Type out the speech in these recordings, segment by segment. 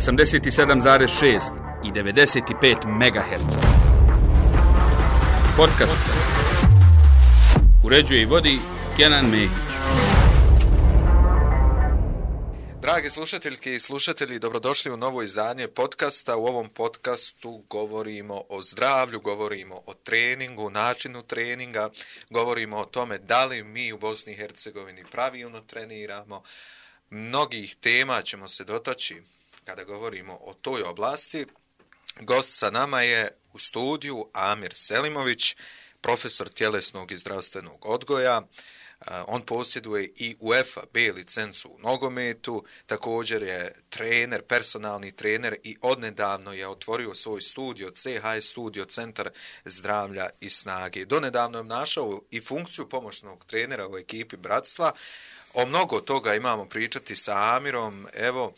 87,6 i 95 MHz. Podcast uređuje i vodi Kenan Mehić. Dragi slušateljke i slušatelji, dobrodošli u novo izdanje podcasta. U ovom podcastu govorimo o zdravlju, govorimo o treningu, načinu treninga, govorimo o tome da li mi u Bosni i Hercegovini pravilno treniramo. Mnogih tema ćemo se dotaći kada govorimo o toj oblasti. Gost sa nama je u studiju Amir Selimović, profesor tjelesnog i zdravstvenog odgoja. On posjeduje i UEFA B licencu u nogometu, također je trener, personalni trener i odnedavno je otvorio svoj studio, CHS studio, Centar zdravlja i snage. Donedavno je našao i funkciju pomoćnog trenera u ekipi Bratstva. O mnogo toga imamo pričati sa Amirom. Evo,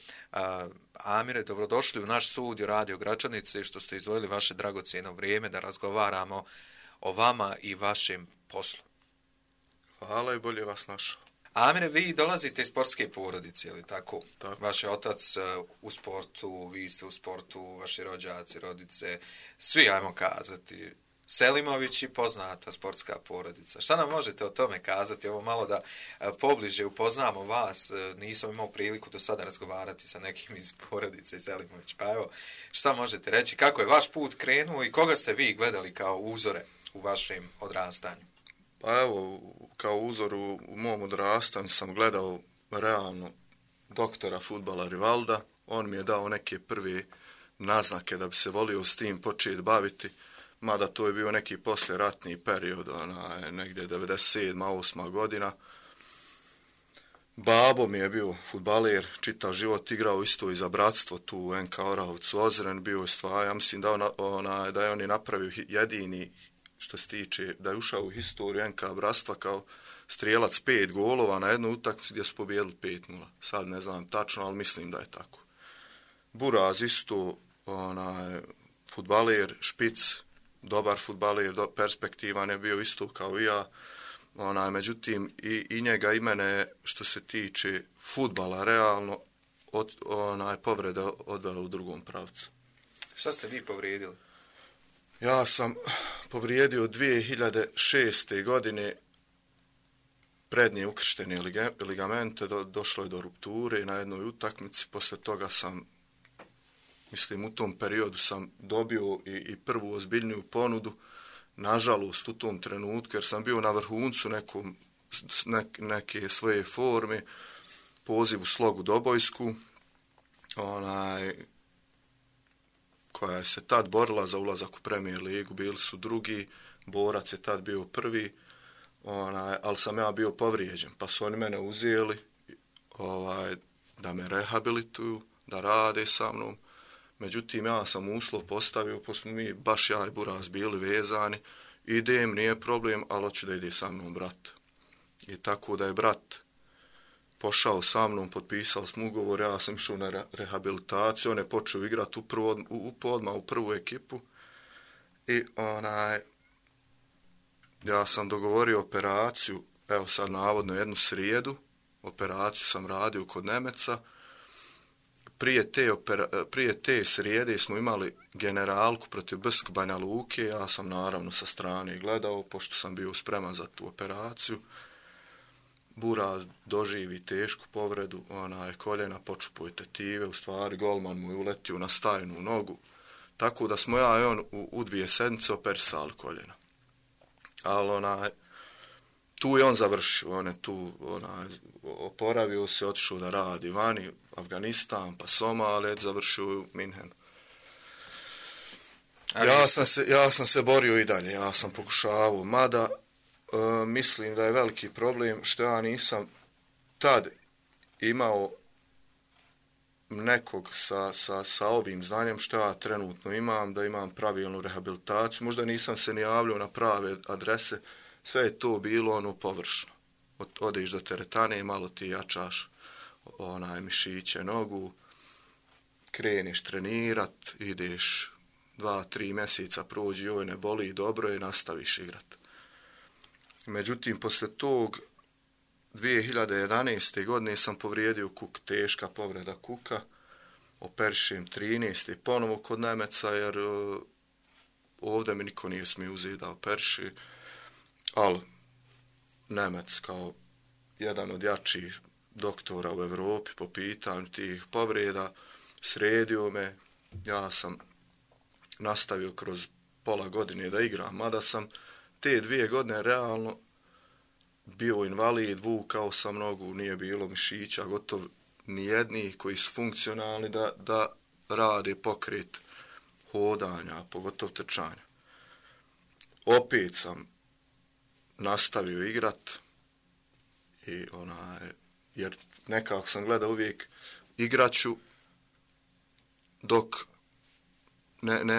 Amire, dobrodošli u naš studio Radio Gračanice i što ste izdvojili vaše dragocjeno vrijeme da razgovaramo o vama i vašem poslu. Hvala i bolje vas našao. Amire, vi dolazite iz sportske porodice, ili tako? Tako. Vaš je otac u sportu, vi ste u sportu, vaši rođaci, rodice, svi, ajmo kazati, Selimović i poznata sportska porodica. Šta nam možete o tome kazati? Ovo malo da pobliže upoznamo vas. Nisam imao priliku do sada razgovarati sa nekim iz porodice Selimović. Pa evo, šta možete reći? Kako je vaš put krenuo i koga ste vi gledali kao uzore u vašem odrastanju? Pa evo, kao uzor u mom odrastanju sam gledao realno doktora fudbala Rivalda. On mi je dao neke prve naznake da bi se volio s tim početi baviti. Mada to je bio neki poslijeratni period, negdje 97. 8. godina. Babo mi je bio fudbaler, čitav život igrao isto i za Bratstvo, tu u NK Orahovcu Ozren, bio je stvar, ja mislim da je on i napravio jedini, što se tiče, da je ušao u historiju NK Bratstva kao strijelac 5 golova na jednu utakmicu gdje su pobijedili 5-0. Sad ne znam tačno, ali mislim da je tako. Buraz isto, fudbaler, špic, dobar fudbaler, perspektivan je bio isto kao i ja. Međutim, i njega i mene, što se tiče fudbala, realno, povreda odvela u drugom pravcu. Šta ste vi povrijedili? Ja sam povrijedio 2006. godine prednje ukrštene ligamente, došlo je do rupture na jednoj utakmici, posle toga sam, mislim, u tom periodu sam dobio i prvu ozbiljniju ponudu, nažalost u tom trenutku, jer sam bio na vrhuncu neke svoje forme, poziv u Slogu Dobojsku, koja je se tad borila za ulazak u Premier ligu, bili su drugi, Borac je tad bio prvi, ali sam ja bio povrijeđen, pa su oni mene uzeli da me rehabilituju, da rade sa mnom. Međutim, ja sam uslov postavio, pošto mi baš ja i Buraz bili vezani, idem, nije problem, ali hoću da ide sa mnom brat. I tako da je brat pošao sa mnom, potpisali smo ugovor, ja sam išao na rehabilitaciju, on je počeo igrati odmah u prvu ekipu i ja sam dogovorio operaciju, evo sad navodno jednu srijedu, operaciju sam radio kod Nemeca. Prije te srijede smo imali generalku protiv Brsk Banja Luke, ja sam naravno sa strane gledao, pošto sam bio spreman za tu operaciju. Buraz doživi tešku povredu, koljena počupuje tetive, u stvari golman mu je uletio na stajnu nogu, tako da smo ja i on u 2 sedmice operisali koljena. Ali tu je on završio, on je tu oporavio se, otišao da radi vani, Afganistan, pa Somalija, završio u Minhenu. Ja sam se borio i dalje, ja sam pokušavao, mada mislim da je veliki problem što ja nisam tad imao nekog sa ovim znanjem što ja trenutno imam, da imam pravilnu rehabilitaciju, možda nisam se ni javljao na prave adrese, sve je to bilo površno. Odeš do teretane, malo ti jačaš mišiće, nogu, kreneš trenirat, ideš 2-3 mjeseca prođi, joj ne boli, dobro je, nastaviš igrat. Međutim, posle tog 2011. godine sam povrijedio kuk, teška povreda kuka, operišem 13. ponovo kod Nemeca, jer ovdje mi niko nije smio uzeti da operiši, ali Nemec kao jedan od jačih doktora u Evropi po pitanju tih povreda sredio me, ja sam nastavio kroz pola godine da igram, mada sam te 2 godine realno bio invalid, vukao sam nogu, nije bilo mišića, gotovo nijednih koji su funkcionalni da rade pokret hodanja, pogotovo trčanja. Opet sam nastavio igrat i jer nekako sam gledao uvijek igraću dok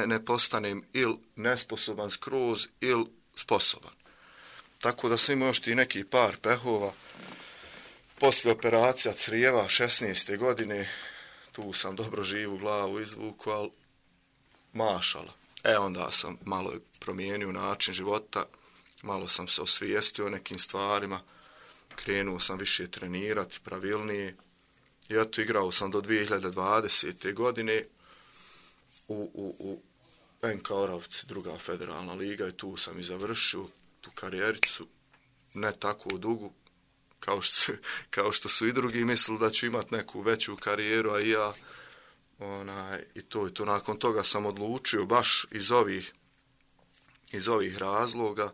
ne postanem ili nesposoban skroz ili sposoban. Tako da sam imao još ti neki par pehova. Poslije operacija crijeva 16. godine, tu sam dobro živu glavu izvuku, ali mašala. Onda sam malo promijenio način života, malo sam se osvijestio o nekim stvarima, krenuo sam više trenirati, pravilnije. I eto, igrao sam do 2020. godine u NK Oravci, druga federalna liga, i tu sam i završio tu karijericu, ne tako dugu, kao što su i drugi mislili da ću imati neku veću karijeru, a i ja, i to. Nakon toga sam odlučio baš iz ovih razloga,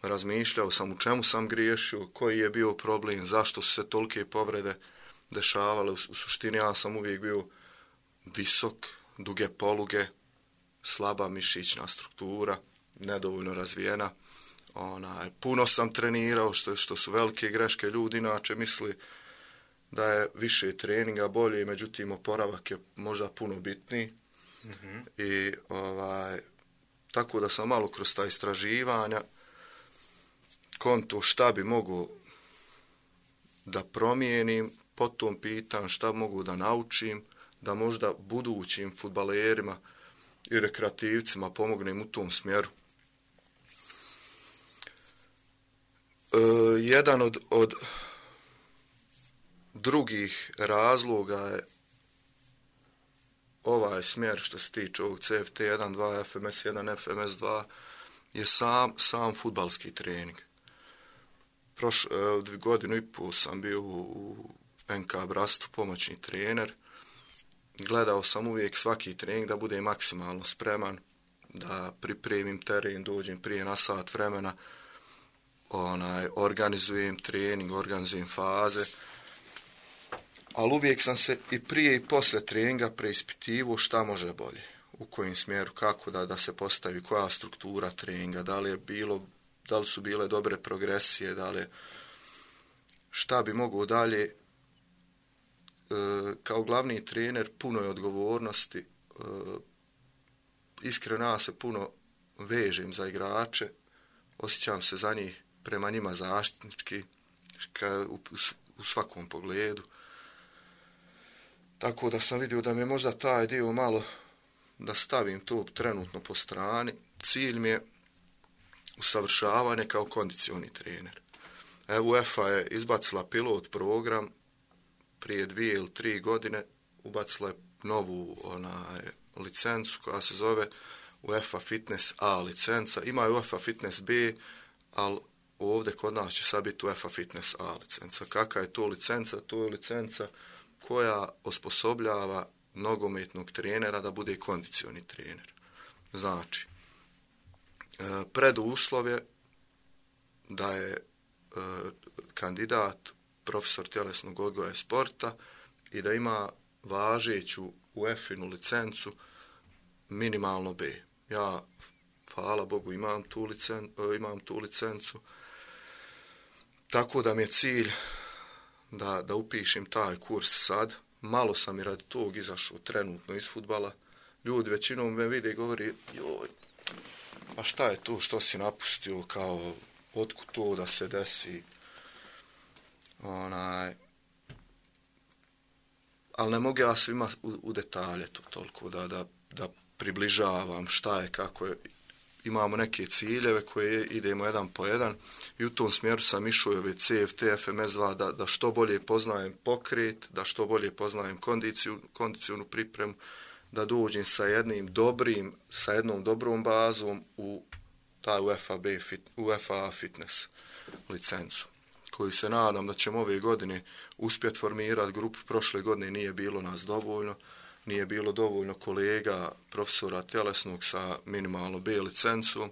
razmišljao sam u čemu sam griješio, koji je bio problem, zašto su se tolike povrede dešavale. U suštini ja sam uvijek bio visok, duge poluge, slaba mišićna struktura, nedovoljno razvijena. Puno sam trenirao, što su velike greške. Ljudi inače misli da je više treninga bolje, međutim oporavak je možda puno bitniji. I tako da sam malo kroz ta istraživanja konto šta bi mogu da promijenim po tom pitanju, šta mogu da naučim, da možda budućim fudbalerima i rekreativcima pomognem u tom smjeru. Jedan od drugih razloga je ovaj smjer što se tiče ovog CFT1, 2, FMS1, FMS2 je sam fudbalski trening. Godinu i pol sam bio u NK Brastu pomoćni trener. Gledao sam uvijek svaki trening da bude maksimalno spreman, da pripremim teren, dođem prije na sat vremena, organizujem trening, organizujem faze, ali uvijek sam se i prije i poslije treninga preispitivo šta može bolje, u kojem smjeru, kako da se postavi, koja struktura treninga, da li su bile dobre progresije, šta bi mogao dalje. Kao glavni trener puno je odgovornosti, iskreno ja se puno vežem za igrače, osjećam se za njih, prema njima zaštitnički u svakom pogledu. Tako da sam vidio da mi je možda taj dio malo da stavim to trenutno po strani. Cilj mi je usavršavanje kao kondicioni trener. Evo UEFA je izbacila pilot program prije 2 ili 3 godine, ubacila je novu licencu koja se zove UEFA Fitness A licenca. Ima je UEFA Fitness B, ali ovdje kod nas će sad biti UEFA Fitness A licenca. Kakva je to licenca? To je licenca koja osposobljava nogometnog trenera da bude kondicioni trener. Znači, preduslov je da je kandidat profesor tjelesnog odgoja i sporta i da ima važeću UEFA-inu licencu minimalno B. Ja, hvala Bogu, imam tu licencu. Tako da mi je cilj da upišem taj kurs sad. Malo sam i radi tog izašao trenutno iz fudbala. Ljudi većinom me vide i govori, joj, a šta je to što si napustio, kao otkud to da se desi. Ali ne mogu ja svima u detalje to toliko da približavam šta je, kako je. imamo neke ciljeve koje idemo jedan po jedan i u tom smjeru sam išao ove CFT, FMS2 da što bolje poznajem pokret, da što bolje poznajem kondicijonu pripremu, da dođem sa jednom dobrom bazom u taj UEFA fitness licencu, koju se nadam da ćemo ove godine uspjeti formirati grupu. Prošle godine nije bilo nas dovoljno, nije bilo dovoljno kolega, profesora tjelesnog sa minimalno B licencom.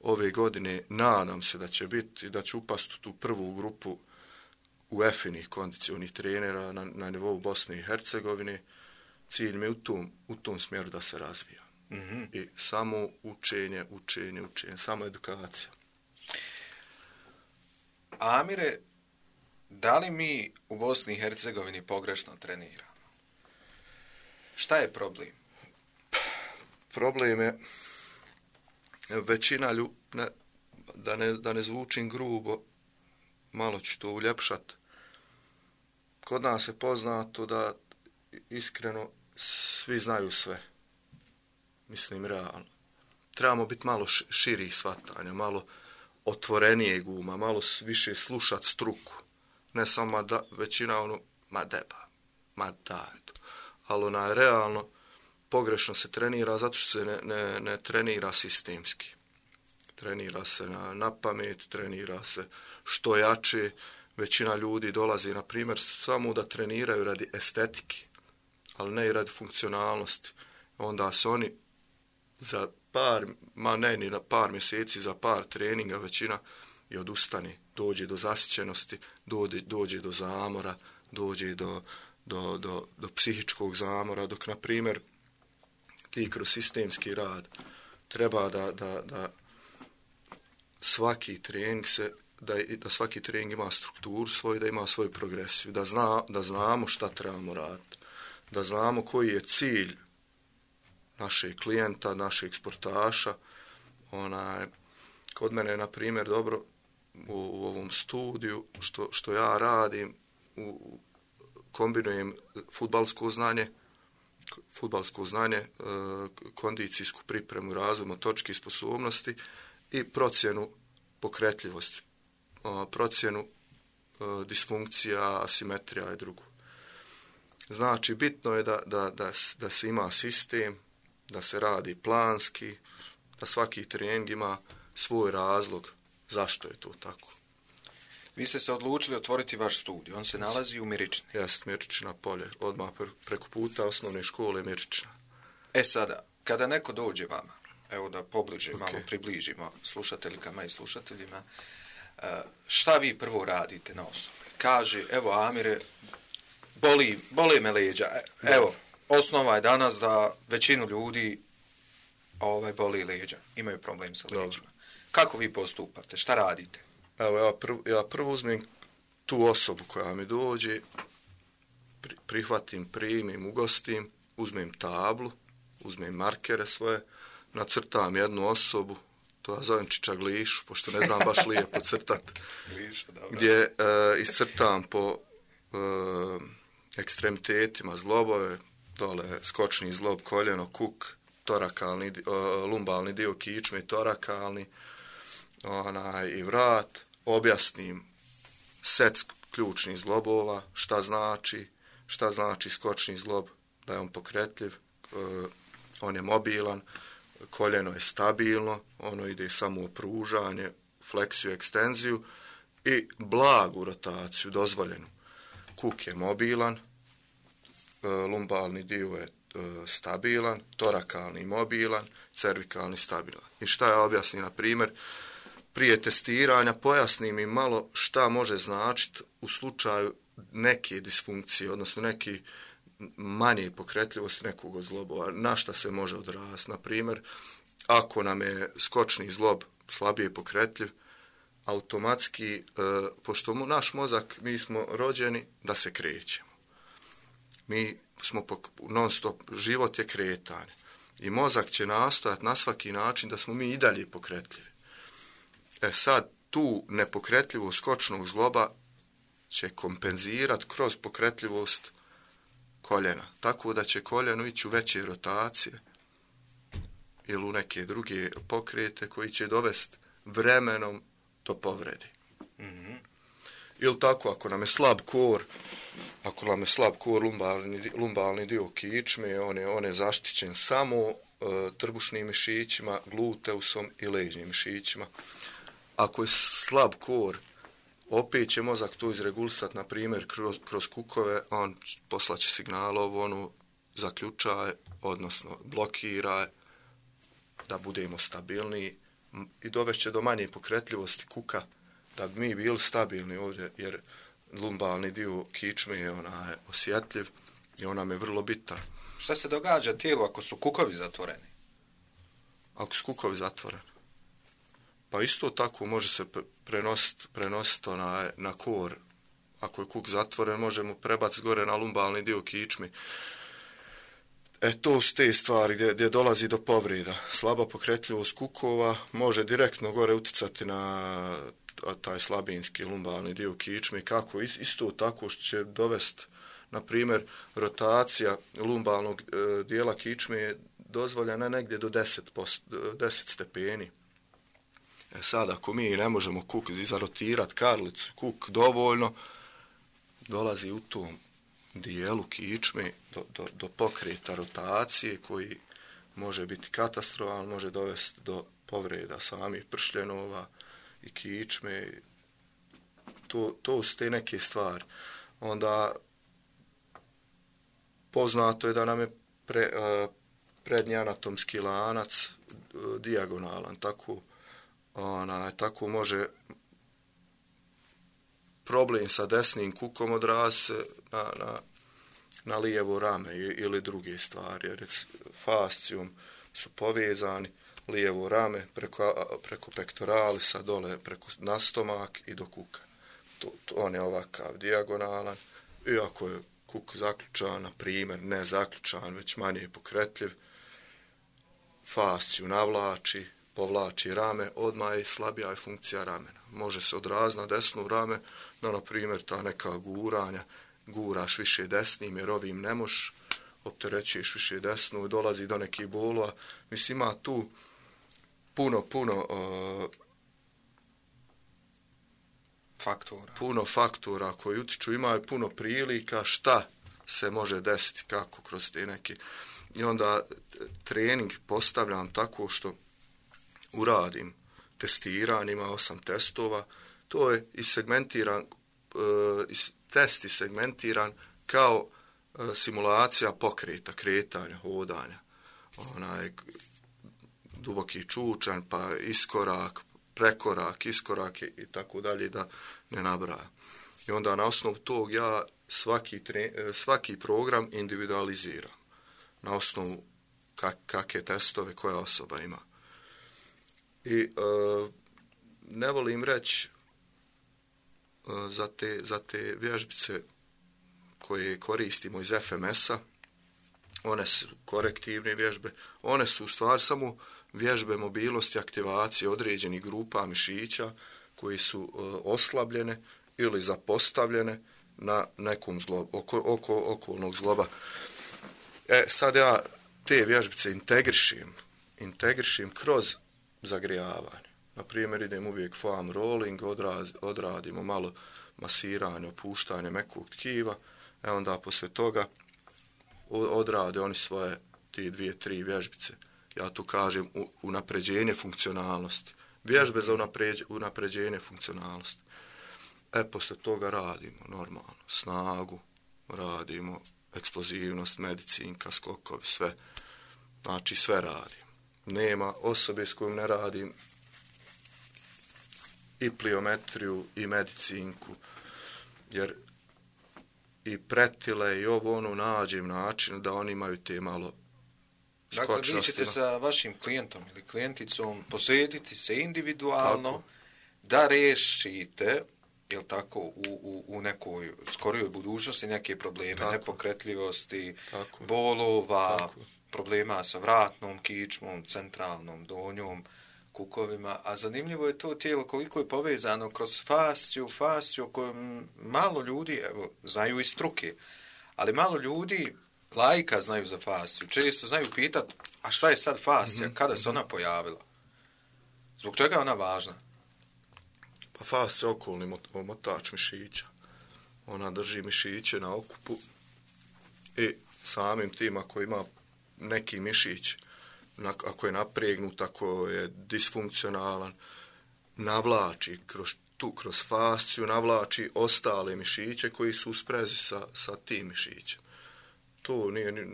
Ove godine nadam se da će biti i da će upasti u tu prvu grupu UEFA-inih kondicionih trenera na nivou Bosne i Hercegovine. Cilj mi je u tom smjeru da se razvija. Mm-hmm. I samo učenje, samo edukacija. Amire, da li mi u Bosni i Hercegovini pogrešno treniramo? Šta je problem? Problem je većina da ne zvučim grubo, malo ću to uljepšat. Kod nas je poznato da iskreno svi znaju sve. Mislim, realno. Trebamo biti malo širih shvatanja, malo otvorenijeg uma, malo više slušat struku. Ne samo da većina ali realno pogrešno se trenira zato što se ne trenira sistemski. Trenira se na pamet, trenira se što jače. Većina ljudi dolazi, na primjer, samo da treniraju radi estetike, ali ne i radi funkcionalnosti. Onda se oni za par mjeseci, za par treninga većina i odustane, dođe do zasićenosti, dođe do zamora, dođe do psihičkog zamora, dok, na primjer, ti kroz sistemski rad treba da svaki trening da svaki trening ima strukturu svoju, da ima svoju progresiju, da znamo šta trebamo raditi, da znamo koji je cilj našeg klijenta, našeg sportaša. Kod mene je, na primjer, dobro u ovom studiju što ja radim, kombinujem fudbalsko znanje, kondicijsku pripremu, razvoj motoričkih sposobnosti i procjenu pokretljivosti, procjenu disfunkcija, asimetrija i drugo. Znači, bitno je da se ima sistem, da se radi planski, da svaki trening ima svoj razlog zašto je to tako. Vi ste se odlučili otvoriti vaš studij, on se nalazi u Mirični. Jest, Mirična polje, odmah preko puta osnovne škole Mirična. Sada, kada neko dođe vama, evo da pobliže, malo približimo slušateljkama i slušateljima, šta vi prvo radite na osobi? Kaže, evo Amire, boli me leđa. Evo, osnova je danas da većinu ljudi boli leđa, imaju problem sa leđima. Kako vi postupate? Šta radite? Evo, ja prvo uzmem tu osobu koja mi dođe, prihvatim, primim, ugostim, uzmem tablu, uzmem markere svoje, nacrtam jednu osobu, to ja zovem čičaglišu, pošto ne znam baš lijepo crtati, gdje iscrtam po ekstremitetima zglobove, dole skočni zglob, koljeno, kuk, lumbalni dio kičme i torakalni, i vrat, objasnim set ključnih zglobova, šta znači skočni zglob, da je on pokretljiv, on je mobilan, koljeno je stabilno, ono ide samo u pružanje, fleksiju, ekstenziju i blagu rotaciju, dozvoljenu. Kuk je mobilan, lumbalni dio je stabilan, torakalni mobilan, cervikalni stabilan. I šta ja objasnim, na primjer, prije testiranja pojasnim im malo šta može značiti u slučaju neke disfunkcije, odnosno neke manje pokretljivosti nekog od zglobova, na šta se može odraziti. Na primjer, ako nam je skočni zglob slabije pokretljiv, automatski, pošto naš mozak, mi smo rođeni da se krećemo. Mi smo non stop, život je kretanje. I mozak će nastojati na svaki način da smo mi i dalje pokretljivi. Sad, tu nepokretljivost skočnog zgloba će kompenzirati kroz pokretljivost koljena. Tako da će koljeno ići u veće rotacije ili u neke druge pokrete koji će dovesti vremenom do povrede. Ili tako, ako nam je slab kor, lumbalni dio kičme, on je zaštićen samo trbušnim mišićima, gluteusom i leđnim mišićima. Ako je slab kor, opet će mozak to izregulisati, na primjer, kroz kukove, on poslaće signal zaključaj, odnosno blokiraj, da budemo stabilniji i dovešće do manje pokretljivosti kuka, da bi mi bili stabilni ovdje, jer lumbalni dio kičme je osjetljiv i on nam je vrlo bitan. Šta se događa tijelu ako su kukovi zatvoreni? Ako su kukovi zatvoreni? Pa isto tako može se prenositi na kor. Ako je kuk zatvoren, možemo prebaciti gore na lumbalni dio kičmi. To su te stvari gdje dolazi do povreda. Slaba pokretljivost kukova može direktno gore uticati na taj slabinski lumbalni dio kičme. Kako? Isto tako što će dovesti, na primjer, rotacija lumbalnog dijela kičme je dozvoljena negdje do 10 stepeni. Sad, ako mi ne možemo kuk zarotirati, karlicu, kuk dovoljno, dolazi u tom dijelu kičme do pokreta rotacije koji može biti katastrofalan, može dovesti do povreda samih pršljenova i kičme. To su te neke stvari. Onda poznato je da nam je prednji anatomski lanac dijagonalan, tako može problem sa desnim kukom odraziti se na lijevo rame ili druge stvari, jer fascijom su povezani lijevo rame preko pektoralisa dole na stomak i do kuka. On je ovakav dijagonalan, iako je kuk zaključan, na primjer, ne zaključan, već manje pokretljiv, fasciju navlači, povlači rame, odmah je slabija je funkcija ramena. Može se odraziti na desnu rame, no, na primjer, ta neka guranja, guraš više desnim, jer ovim ne možeš, opterećuješ više desnu i dolazi do nekih bolova. Mislim, ima tu puno faktora koji utiču, ima i puno prilika šta se može desiti, kako kroz te neke. I onda trening postavljam tako što uradim testiranje, ima 8 testova, to je test segmentiran kao simulacija pokreta, kretanja, hodanja, duboki čučanj, pa iskorak, prekorak, iskorak i tako dalje, da ne nabraja. I onda na osnovu tog ja svaki program individualiziram na osnovu kakve testove koja osoba ima. I ne volim reći za te vježbice koje koristimo iz FMS-a, one su korektivne vježbe, one su u stvari samo vježbe mobilnosti, aktivacije određenih grupa mišića koji su oslabljene ili zapostavljene na nekom zlobu, okolnog zloba. Sad ja te vježbice integrišim kroz zagrijavanje. Na primjer, idem uvijek foam rolling, odradimo malo masiranje, opuštanje mekog tkiva, onda poslije toga odrade oni svoje ti 2-3 vježbice. Ja tu kažem unapređenje funkcionalnosti. Vježbe za unapređenje funkcionalnosti. Poslije toga radimo normalno snagu, radimo eksplozivnost, medicinka, skokovi, sve. Znači sve radim. Nema osobe s kojom ne radim i pliometriju i medicinku, jer i pretile i nađem način da oni imaju te malo skočnosti. Dakle, vi ćete sa vašim klijentom ili klijenticom posvetiti se individualno tako, da rešite, jel tako, u nekoj skorijoj budućnosti neke probleme, tako, nepokretljivosti, tako, bolova, tako, problema sa vratnom kičmom, centralnom, donjom, kukovima, a zanimljivo je to tijelo koliko je povezano kroz fasciju koju malo ljudi, evo, znaju iz struke, ali malo ljudi laika znaju za fasciju. Često znaju pitati, a šta je sad fascija, kada se ona pojavila? Zbog čega je ona važna? Pa fascija je okolni omotač mišića. Ona drži mišiće na okupu i samim tim ako ima neki mišić, ako je napregnut, ako je disfunkcionalan, navlači kroz fasciju, navlači ostale mišiće koji su u sprezi sa tim mišićem. To nije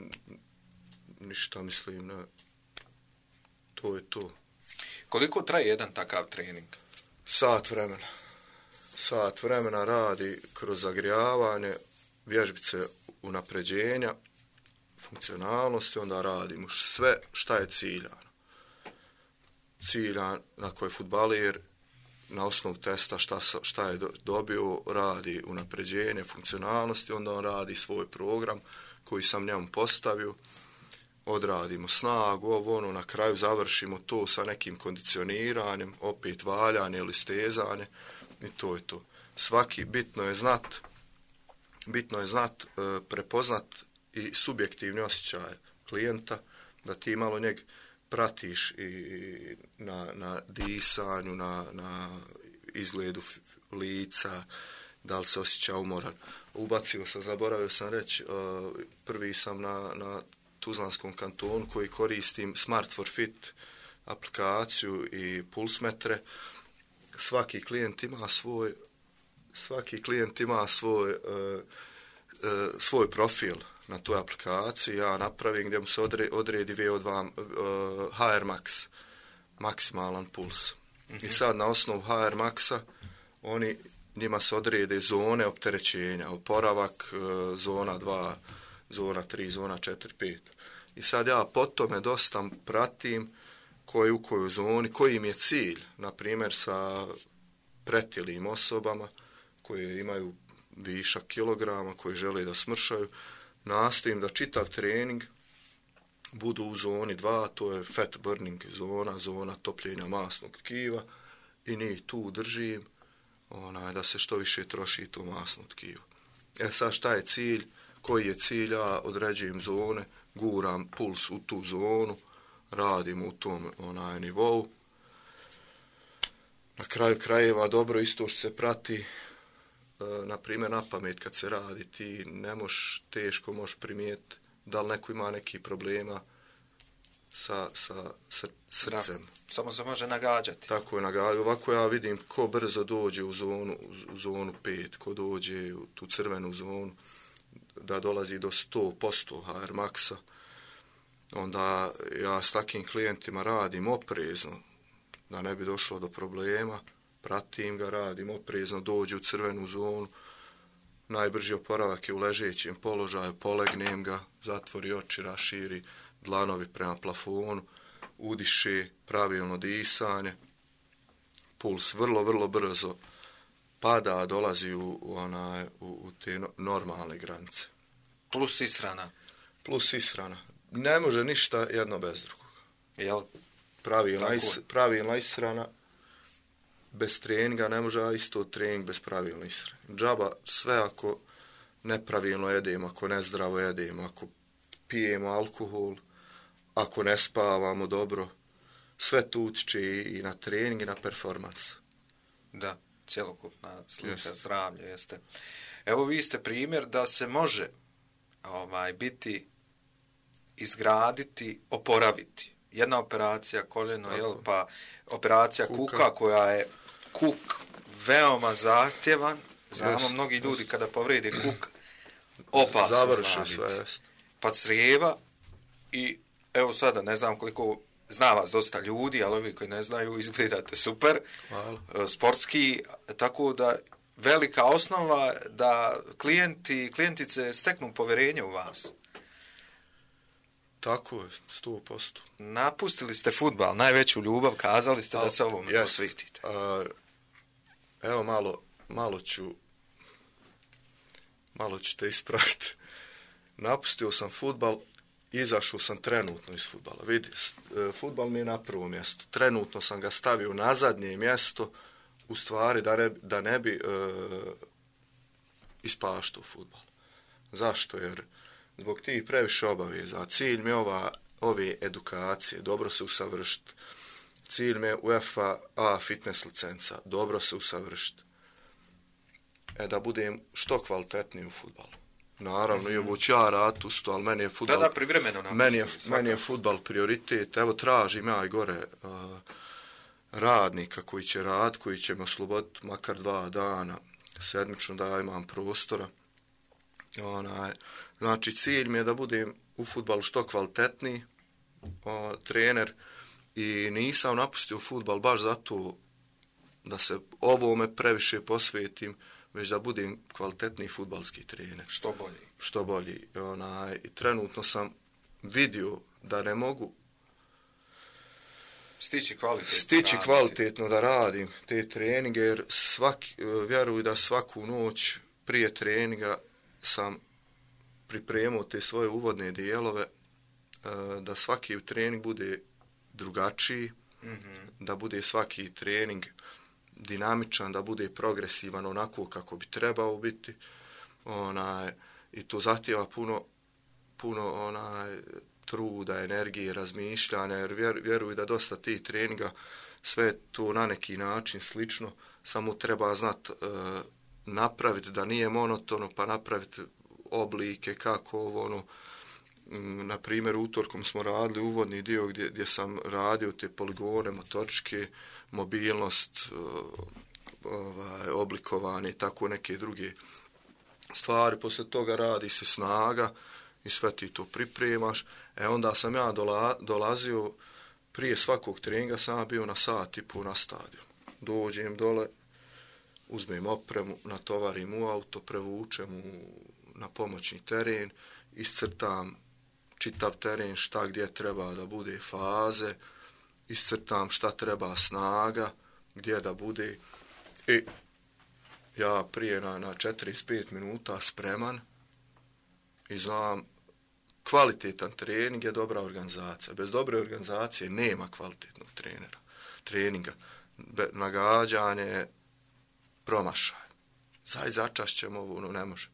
ništa, mislim, ne. To je to. Koliko traje jedan takav trening? Sat vremena. Sat vremena radi kroz zagrijavanje, vježbice unapređenja, funkcionalnosti, onda radimo sve šta je ciljano. Ciljan na koji fudbaler na osnovu testa šta je dobio, radi unapređenje, funkcionalnosti, onda on radi svoj program koji sam njemu postavio, odradimo snagu, na kraju završimo to sa nekim kondicioniranjem, opet valjanje ili stezanje i to je to. Bitno je znat, prepoznat i subjektivni osjećaj klijenta, da ti malo njeg pratiš i na disanju, na izgledu lica, da li se osjeća umoran. Zaboravio sam reći, prvi sam na Tuzlanskom kantonu koji koristim Smart for Fit aplikaciju i pulsmetre. Svaki klijent ima svoj profil na toj aplikaciji. Ja napravim gdje mu se odredi VO2 HR Max, maksimalan puls. I sad na osnovu HR Maxa njima se odrede zone opterećenja, oporavak, zona 2, zona 3, zona 4, 5. I sad ja po tome dosta pratim u kojoj zoni, koji im je cilj, na primjer sa pretilim osobama koje imaju višak kilograma, koji žele da smršaju, nastojim da čitav trening budu u zoni 2, to je fat burning zona topljenja masnog tkiva i njih tu držim da se što više troši to masno tkivo. Sad šta je cilj? Koji je cilj? Ja određujem zone, guram puls u tu zonu, radim u tom nivou. Na kraju krajeva dobro isto što se prati, na primjer na pamet kad se radi, ti teško možeš primijetiti da li neko ima neki problema sa srcem. Da, samo se može nagađati. Tako je nagađati. Ovako ja vidim ko brzo dođe u zonu 5, ko dođe u tu crvenu zonu, da dolazi do 100% HR Maxa. Onda ja s takim klijentima radim oprezno, da ne bi došlo do problema. Pratim ga, radim oprezno, dođe u crvenu zonu. Najbrži oporavak je u ležećem položaju, polegnem ga, zatvori oči, raširi dlanovi prema plafonu, udiše, pravilno disanje, puls vrlo, vrlo brzo pada, dolazi u te normalne granice. Plus ishrana. Plus ishrana. Ne može ništa jedno bez drugog. Jel? Pravilna ishrana bez treninga ne može, a isto trening bez pravilne ishrane. Džaba sve ako nepravilno jedemo, ako nezdravo jedemo, ako pijemo alkohol, ako ne spavamo dobro, sve to utiče i na trening i na performans. Da, cjelokupna slika zdravlja jeste. Evo vi ste primjer da se može biti, izgraditi, oporaviti. Jedna operacija koljeno, pa operacija kuka koja je veoma zahtjevan. Znamo mnogi ljudi kada povrede kuk, opasno završe sve. Pa crijeva i evo sada ne znam koliko zna vas dosta ljudi, ali ovi koji ne znaju izgledate super. Hvala. Sportski, tako da velika osnova da klijentice steknu povjerenje u vas. Tako je, 100%. Napustili ste fudbal, najveću ljubav, kazali ste da se ovom posvetite. Evo malo ću te ispraviti. Napustio sam fudbal, izašao sam trenutno iz fudbala. Vidi, fudbal mi je na prvo mjesto. Trenutno sam ga stavio na zadnje mjesto, u stvari da ne bi ispaštao fudbal. Zašto? Jer zbog tih previše obaveza. Cilj mi je ove edukacije, dobro se usavršiti. Cilj mi je UEFA A fitness licenca, dobro se usavršiti. Da budem što kvalitetniji u fudbalu. Naravno, i ovo ću ja raditi usto, ali meni je fudbal... Da, privremeno meni je fudbal prioritet. Evo, tražim ja i gore radnika koji će raditi, koji će me osloboditi makar 2 dana sedmično da imam prostora. Znači, cilj mi je da budem u fudbalu što kvalitetniji trener i nisam napustio fudbal baš zato da se ovome previše posvetim, već da budem kvalitetniji fudbalski trener. Što bolji. I trenutno sam vidio da ne mogu stići kvalitetno da radim te treninge, jer vjeruj da svaku noć prije treninga sam pripremio te svoje uvodne dijelove, da svaki trening bude drugačiji, da bude svaki trening dinamičan, da bude progresivan onako kako bi trebao biti. I to zahtjeva puno truda, energije, razmišljanja, jer vjeruj da dosta tih treninga sve to na neki način slično, samo treba znati napraviti da nije monotono, pa napraviti oblike kako na primjer utorkom smo radili uvodni dio gdje sam radio te poligone, motoričke, mobilnost, oblikovanje i tako neke druge stvari. Poslije toga radi se snaga i sve ti to pripremaš. Onda sam ja dolazio prije svakog treninga, sam bio na sat i pol na stadion. Dođem dole, uzmem opremu, natovarim u auto, prevučem na pomoćni teren, iscrtam čitav teren, šta gdje treba da bude faze, iscrtam šta treba snaga, gdje da bude. I ja prije na 45 minuta spreman i znam, kvalitetan trening je dobra organizacija. Bez dobre organizacije nema kvalitetnog treninga. Nagađanje, promašaj. Začašćemo ovo, ne može.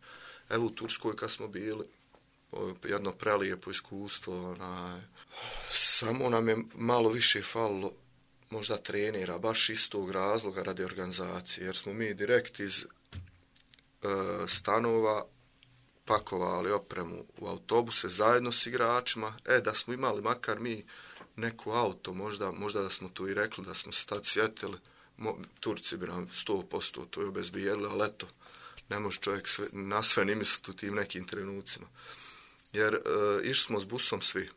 Evo u Turskoj kad smo bili, jedno prelijepo iskustvo, samo nam je malo više falilo možda trenera, baš iz tog razloga radi organizacije, jer smo mi direkt iz stanova pakovali opremu u autobuse zajedno s igračima. Da smo imali makar mi neku auto, možda da smo tu i rekli, da smo se tad sjetili, Turci bi nam 100% to je obezbijedili, ali eto, ne može čovjek na sve ni misliti u tim nekim trenucima. Jer išli smo s busom svi,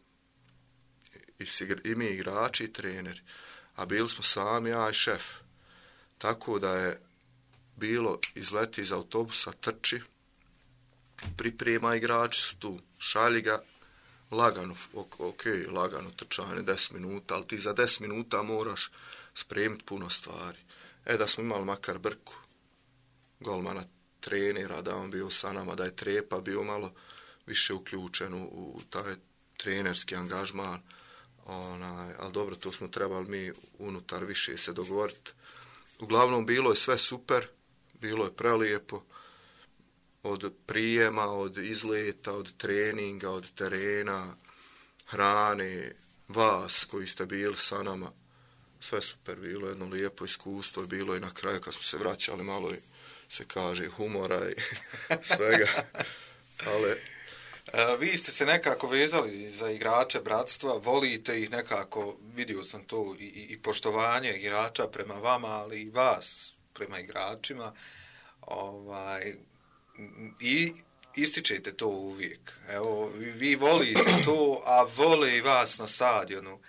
i mi igrači i treneri, a bili smo sami, ja i šef. Tako da je bilo izleti iz autobusa, trči, priprema, igrači su tu, šalji ga, lagano, lagano trčanje, 10 minuta, ali ti za 10 minuta moraš spremiti puno stvari. Da smo imali makar Brku, golmana trenera, da on bio sa nama, da je Trepa bio malo više uključen u taj trenerski angažman, ali dobro, to smo trebali mi unutar više se dogovoriti. Uglavnom, bilo je sve super, bilo je prelijepo, od prijema, od izleta, od treninga, od terena, hrane, vas koji ste bili sa nama, sve super, bilo je jedno lijepo iskustvo, bilo je na kraju kad smo se vraćali malo i se kaže humora i svega, ali... Vi ste se nekako vezali za igrače bratstva, volite ih nekako, vidio sam to i poštovanje igrača prema vama, ali i vas prema igračima, i ističete to uvijek. Evo, vi volite to, a vole i vas na stadionu.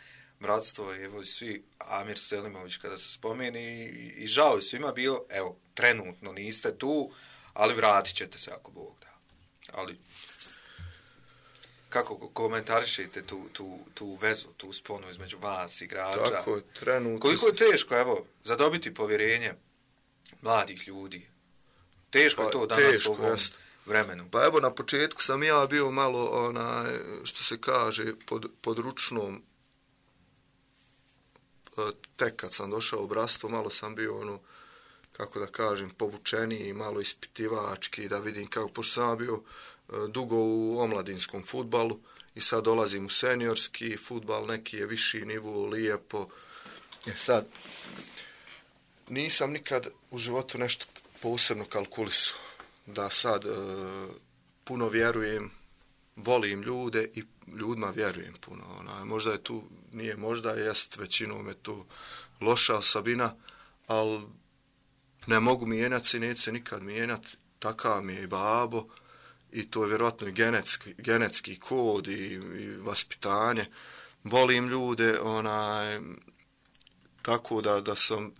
Bratstvo, evo, svi, Amir Selimović kada se spomeni, i žao je svima bio, evo, trenutno niste tu, ali vratit ćete se ako Bog da. Ali kako komentarišete tu vezu, tu sponu između vas, igrača? Tako je, trenutno. Koliko je teško, evo, zadobiti povjerenje mladih ljudi? Teško je to danas u ovom vremenu. Pa evo, na početku sam ja bio malo, što se kaže, pod ručnom, tek kad sam došao u bratstvo, malo sam bio, kako da kažem, povučeniji, malo ispitivački, da vidim kako, pošto sam bio dugo u omladinskom fudbalu i sad dolazim u seniorski fudbal, neki je viši nivo, lijepo. Sad, nisam nikad u životu nešto posebno kalkulisao, da sad puno vjerujem, volim ljude i ljudima vjerujem puno. Možda je tu, nije možda, jest većinom je tu loša osobina, ali ne mogu mijenjati se, neće se nikad mijenjati, takav mi je i babo i to je vjerojatno i genetski kod i vaspitanje. Volim ljude, tako da sam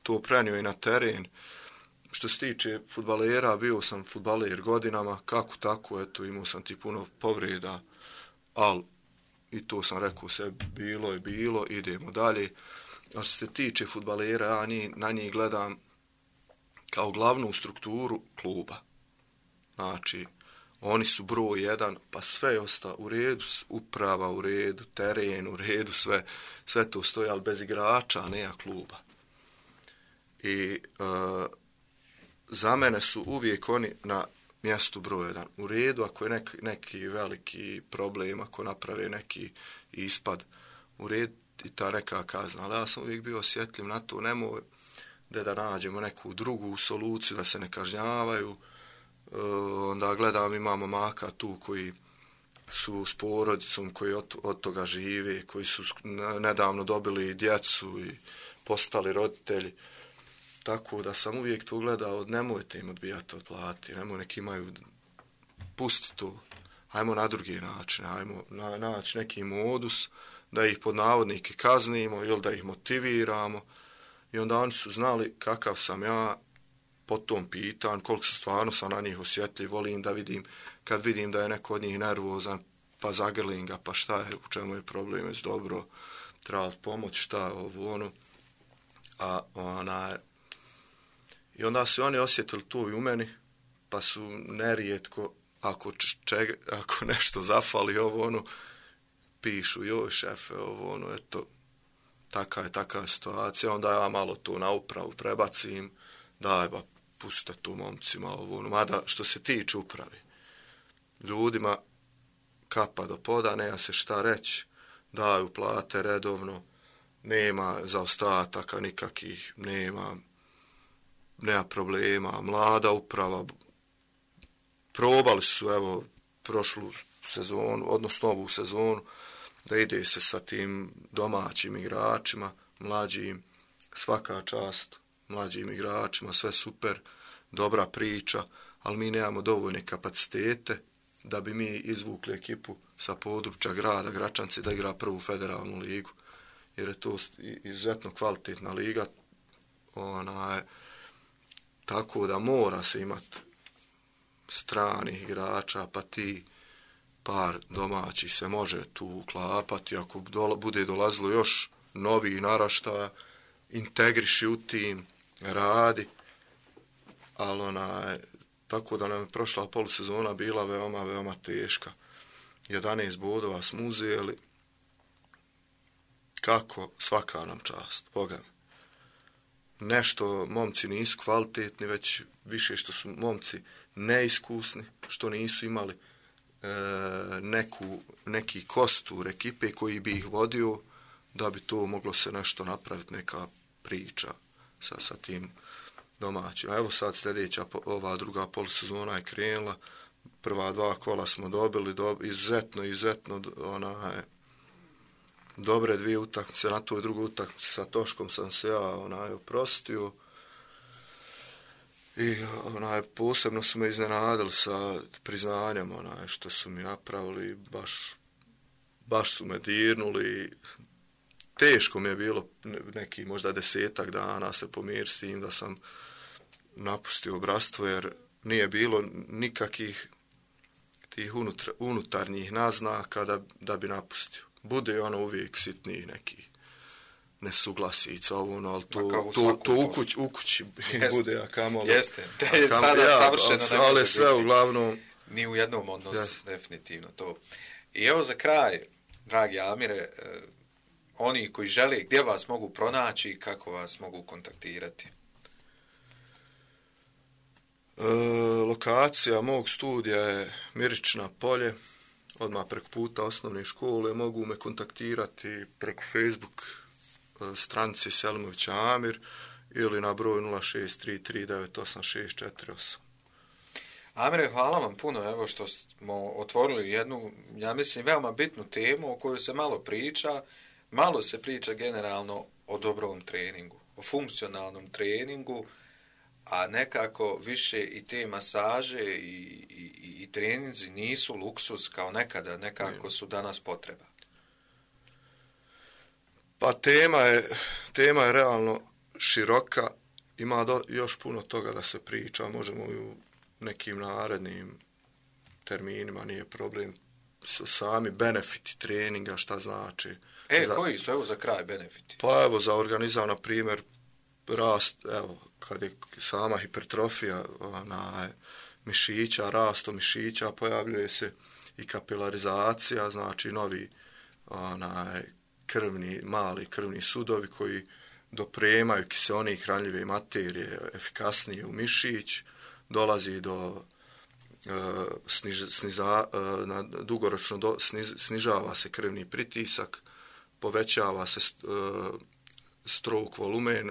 to prenio i na teren. Što se tiče fudbalera, bio sam fudbaler godinama, kako tako, eto, imao sam ti puno povreda, ali i to sam rekao se, bilo je bilo, idemo dalje. A što se tiče fudbalera, ja na njih gledam kao glavnu strukturu kluba. Znači, oni su broj jedan, pa sve osta u redu, uprava u redu, teren u redu, sve to stoji, ali bez igrača, nema kluba. I za mene su uvijek oni na mjestu broj jedan. U redu, ako je neki veliki problem, ako naprave neki ispad, u redu i ta neka kazna. Ali ja sam uvijek bio osjetljiv na to, nemoj da nađemo neku drugu soluciju, da se ne kažnjavaju. Onda gledam, imamo maka tu koji su s porodicom, koji od toga žive, koji su nedavno dobili djecu i postali roditelji. Tako da sam uvijek to gledao, nemojte im odbijati od plati, nemoj neki imaju, pusti to, ajmo na drugi način, ajmo naći neki modus, da ih pod navodnike kaznimo ili da ih motiviramo. I onda oni su znali kakav sam ja po tom pitanju, koliko stvarno sam na njih osjetljiv, volim da vidim, kad vidim da je neko od njih nervozan, pa zagrlinga, pa šta je, u čemu je problem, je dobro, treba pomoć, šta, ovo, ono. I onda su oni osjetili to i u meni, pa su nerijetko, ako nešto zafali, ovo, ono, pišu, joj šefe, ovo, ono, eto, taka situacija, onda ja malo to na upravu prebacim, daj ba, pustite tu momcima, ovo, ono, mada što se tiče upravi, ljudima kapa do poda, nema se šta reći, daju plate redovno, nema zaostataka nikakih, nema problema, mlada uprava, probali su, evo, prošlu sezonu, odnosno ovu sezonu, da ide se sa tim domaćim igračima, mlađim, svaka čast mlađim igračima, sve super, dobra priča, ali mi nemamo dovoljne kapacitete da bi mi izvukli ekipu sa područja grada Gračanci da igra prvu federalnu ligu, jer je to izuzetno kvalitetna liga, tako da mora se imati stranih igrača, pa ti par domaći se može tu uklapati, ako bude dolazilo još novi naraštaja, integriši u tim, radi, ali tako da nam je prošla polusezona bila veoma, veoma teška. 11 bodova smo uzeli, kako, svaka nam čast, Boga mi. Nešto momci nisu kvalitetni, već više što su momci neiskusni, što nisu imali neki kostur ekipe koji bi ih vodio da bi to moglo se nešto napraviti, neka priča sa tim domaćima. Evo sad sljedeća, ova druga polusezona je krenula, prva 2 kola smo dobili, izuzetno dobre 2 utakmice, na toj drugoj utakmici sa Toškom sam se ja oprostio i posebno su me iznenadili sa priznanjem što su mi napravili, baš su me dirnuli. Teško mi je bilo neki možda 10 dana se pomiriti s tim da sam napustio bratstvo, jer nije bilo nikakvih tih unutarnjih naznaka da bi napustio. Bude uvijek sitniji neki nesuglasica, ali to u kući bude, a kamoli. Jeste, sada savršeno ali sve uglavnom. Ni u jednom odnosu, definitivno to. I evo za kraj, dragi Amire, oni koji žele, gdje vas mogu pronaći i kako vas mogu kontaktirati? Lokacija mog studija je Mirična polje, odmah preko puta osnovne škole. Mogu me kontaktirati preko Facebook stranice Selimović Amir ili na broj 0633986648. Amire, hvala vam puno evo što smo otvorili jednu, ja mislim, veoma bitnu temu o kojoj se malo priča. Malo se priča generalno o dobrom treningu, o funkcionalnom treningu, a nekako više i te masaže i treninzi nisu luksuz kao nekada, nekako su danas potreba. Pa tema je realno široka, ima još puno toga da se priča, možemo i u nekim narednim terminima, nije problem. Sami benefiti treninga, šta znači. Koji su, evo za kraj, benefiti? Pa evo za organizam, na primjer, rast, evo, kad je sama hipertrofija mišića, rastom mišića, pojavljuje se i kapilarizacija, znači novi mali krvni sudovi koji dopremaju kiseonik hranljive materije efikasnije u mišić, dolazi do dugoročno snižava se krvni pritisak, povećava se stroke volumen,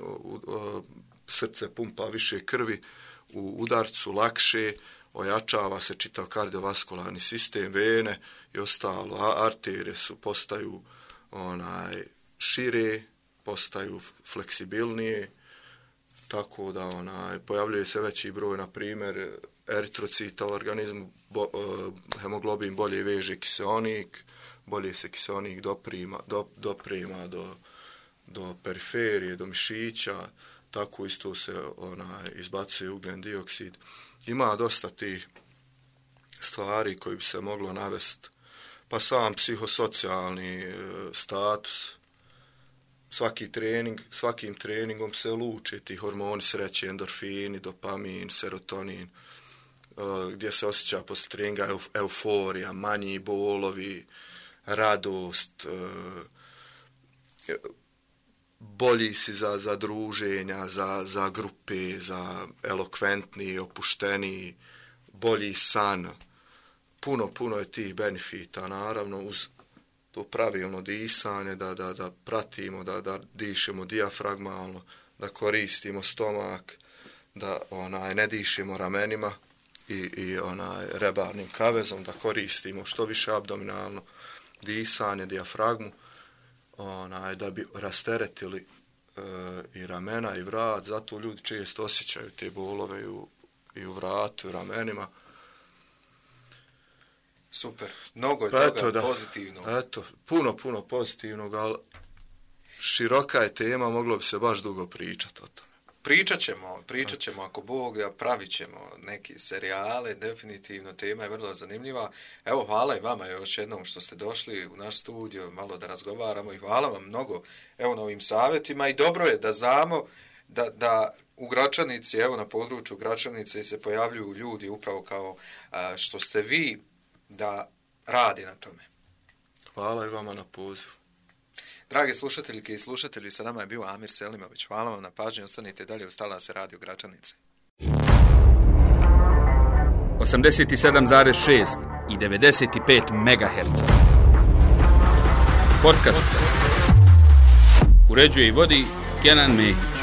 srce pumpa više krvi u udarcu lakše, ojačava se čitav kardiovaskularni sistem, vene i ostalo, arterije postaju šire, postaju fleksibilnije, tako da pojavljuje se veći broj, na primjer, eritrocita u organizmu, hemoglobin bolje veže kiseonik, bolje se kiseonik doprema do periferije, do mišića, tako isto se izbacuje ugljen dioksid. Ima dosta tih stvari koji bi se moglo navesti, pa sam psihosocijalni status. Svakim treningom se luče ti hormoni sreće, endorfini, dopamin, serotonin, gdje se osjeća posle treninga euforija, manji bolovi, radost, bolji si za druženja, za grupe, za elokventni, opušteni, bolji san. Puno je tih benefita, naravno, uz to pravilno disanje, da pratimo, da dišemo dijafragmalno, da koristimo stomak, da ne dišemo ramenima i rebarnim kavezom, da koristimo što više abdominalno disanje, dijafragmu, da bi rasteretili i ramena i vrat, zato ljudi često osjećaju te bolove i u vratu i ramenima. Super, mnogo je toga pozitivno. Eto, puno pozitivnog, ali široka je tema, moglo bi se baš dugo pričati o tome. Pričat ćemo ako Bog, pravit ćemo neki serijale, definitivno tema je vrlo zanimljiva. Evo, hvala i vama još jednom što ste došli u naš studio, malo da razgovaramo i hvala vam mnogo evo na ovim savjetima i dobro je da znamo da u Gračanici, evo na području Gračanice se pojavljuju ljudi upravo kao što ste vi, da radi na tome. Hvala i vama na pozivu. Drage slušateljke i slušatelji, sa nama je bio Amir Selimović. Hvala vam na pažnji, ostanite dalje, Stala se radio Gračanice. 87,6 i 95 MHz. Podcast. Uređuje i vodi Kenan Mehić.